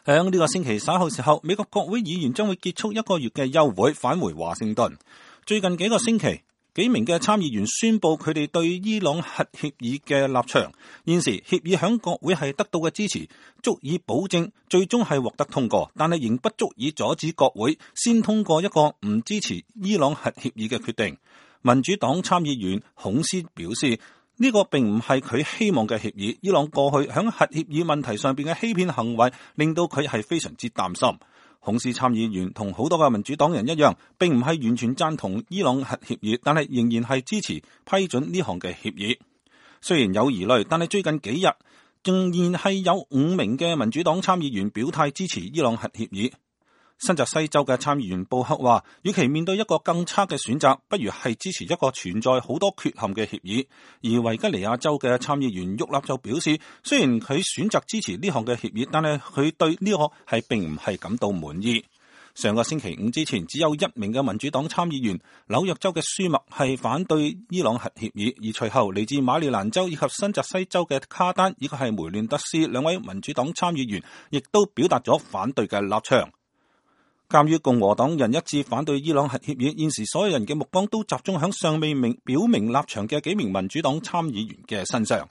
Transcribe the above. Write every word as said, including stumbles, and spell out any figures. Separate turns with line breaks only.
響呢個星期稍後時候，美國國會議員將會結束一個月嘅休會，返回華盛頓。最近幾個星期，幾名嘅參議員宣布佢哋對伊朗核協議嘅立場。現時協議響國會係得到嘅支持，足以保證最終係獲得通過，但係仍不足以阻止國會先通過一個唔支持伊朗核協議嘅決定。民主黨參議員孔斯表示，呢個並唔係佢希望嘅協議。伊朗過去響核協議問題上邊嘅欺騙行為，令到佢係非常之擔心。孔斯參議員同好多嘅民主黨人一樣，並唔係完全贊同伊朗核協議，但係仍然係支持批准呢項嘅協議。雖然有疑慮，但係最近幾日仍然係有五名嘅民主黨參議員表態支持伊朗核協議。新澤西州嘅參議員布克話，與其面對一個更差嘅選擇，不如係支持一個存在好多缺陷嘅協議。而維吉尼亞州嘅參議員沃納就表示，雖然佢選擇支持呢項嘅協議，但係佢對呢個係並唔係感到滿意。上個星期五之前，只有一名嘅民主黨參議員紐約州嘅舒默係反對伊朗核協議，而隨後嚟自馬里蘭州以及新澤西州嘅卡丹以及係梅亂德斯兩位民主黨參議員，亦都表達咗反對嘅立場。鑒於共和黨人一致反對伊朗核協議，現時所有人嘅目光都集中響尚未明表明立場嘅幾名民主黨參議員嘅身上。